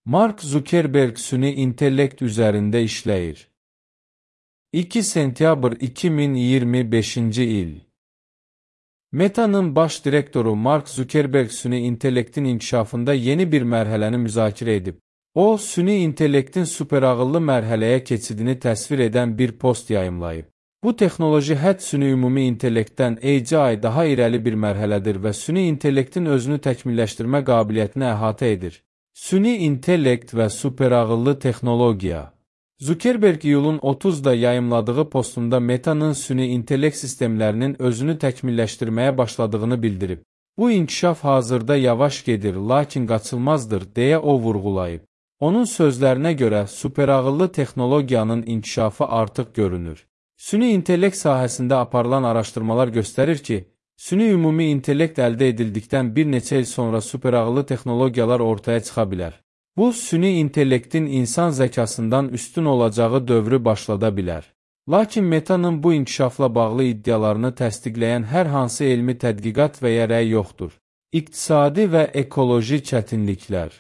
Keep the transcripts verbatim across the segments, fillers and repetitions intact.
Mark Zuckerberg süni intellekt üzərində işləyir. iki sentyabr iki min iyirmi beşinci il. Meta'nın baş direktoru Mark Zuckerberg süni intellektin inkişafında yeni bir mərhələni müzakirə edib. O, süni intellektin superağıllı mərhələyə keçidini təsvir edən bir post yayımlayıb. Bu texnoloji hədd süni ümumi intellektdən ey ay daha irəli bir mərhələdir və süni intellektin özünü təkmilləşdirmə qabiliyyətini əhatə edir. Süni intellekt və superağıllı texnologiya. Zuckerberg iyulun otuzda yayımladığı postunda Meta'nın süni intellekt sistemlərinin özünü təkmilləşdirməyə başladığını bildirib. Bu inkişaf hazırda yavaş gedir, lakin qaçılmazdır, deyə o vurğulayıb. Onun sözlərinə görə superağıllı texnologiyanın inkişafı artıq görünür. Süni intellekt sahəsində aparılan araşdırmalar göstərir ki, süni ümumi intellekt əldə edildikdən bir neçə il sonra superağıllı texnologiyalar ortaya çıxa bilər. Bu, süni intellektin insan zəkasından üstün olacağı dövrü başlada bilər. Lakin Meta'nın bu inkişafla bağlı iddialarını təsdiqləyən hər hansı elmi tədqiqat və ya rəy yoxdur. İqtisadi və ekoloji çətinliklər.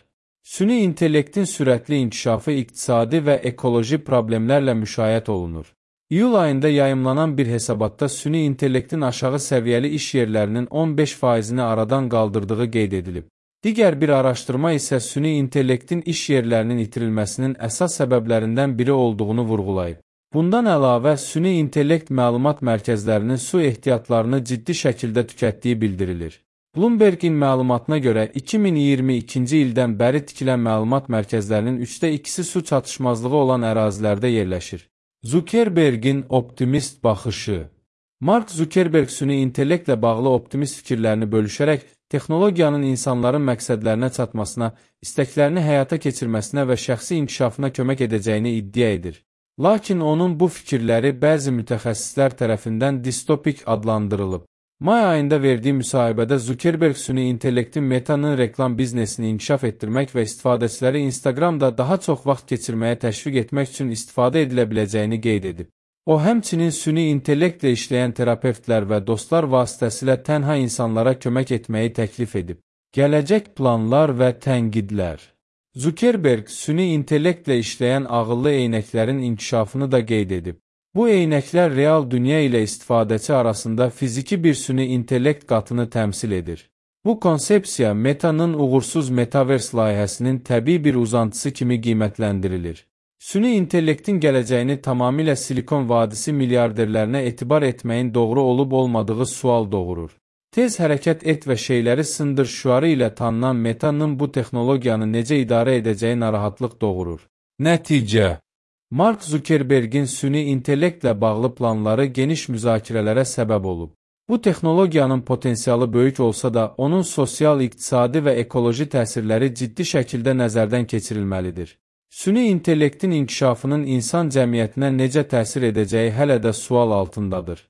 Süni intellektin sürətli inkişafı iqtisadi və ekoloji problemlərlə müşayiət olunur. İyul ayında yayımlanan bir hesabatda süni intellektin aşağı səviyyəli iş yerlərinin on beş faizini aradan qaldırdığı qeyd edilib. Digər bir araşdırma isə süni intellektin iş yerlərinin itirilməsinin əsas səbəblərindən biri olduğunu vurğulayıb. Bundan əlavə, süni intellekt məlumat mərkəzlərinin su ehtiyatlarını ciddi şəkildə tükətdiyi bildirilir. Bloomberg'in məlumatına görə iki min iyirmi ikinci ildən bəri tikilən məlumat mərkəzlərinin üçdə ikisi su çatışmazlığı olan ərazilərdə yerləşir. Zuckerberg'in optimist baxışı. Mark Zuckerberg süni intellektlə bağlı optimist fikirlərini bölüşərək, texnologiyanın insanların məqsədlərinə çatmasına, istəklərini həyata keçirməsinə və şəxsi inkişafına kömək edəcəyini iddia edir. Lakin onun bu fikirləri bəzi mütəxəssislər tərəfindən distopik adlandırılıb. May ayında verdiyi müsahibədə Zuckerberg süni intellektin Meta'nın reklam biznesini inkişaf etdirmək və istifadəçiləri Instagramda daha çox vaxt keçirməyə təşviq etmək üçün istifadə edilə biləcəyini qeyd edib. O, həmçinin süni intellektlə işləyən terapevtlər və dostlar vasitəsilə tənha insanlara kömək etməyi təklif edib. Gələcək planlar və tənqidlər. Zuckerberg, süni intellektlə işləyən ağıllı eynəklərin inkişafını da qeyd edib. Bu eynəklər real dünya ilə istifadəçi arasında fiziki bir süni intellekt qatını təmsil edir. Bu konsepsiya Meta'nın uğursuz Metaverse layihəsinin təbii bir uzantısı kimi qiymətləndirilir. Süni intellektin gələcəyini tamamilə Silikon Vadisi milyarderlərinə etibar etməyin doğru olub-olmadığı sual doğurur. Tez hərəkət et və şeyləri sındır şüarı ilə tanınan Meta'nın bu texnologiyanı necə idarə edəcəyi narahatlıq doğurur. Nəticə. Mark Zuckerberg'in süni intellektlə bağlı planları geniş müzakirələrə səbəb olub. Bu texnologiyanın potensialı böyük olsa da, onun sosial, iqtisadi və ekoloji təsirləri ciddi şəkildə nəzərdən keçirilməlidir. Süni intellektin inkişafının insan cəmiyyətinə necə təsir edəcəyi hələ də sual altındadır.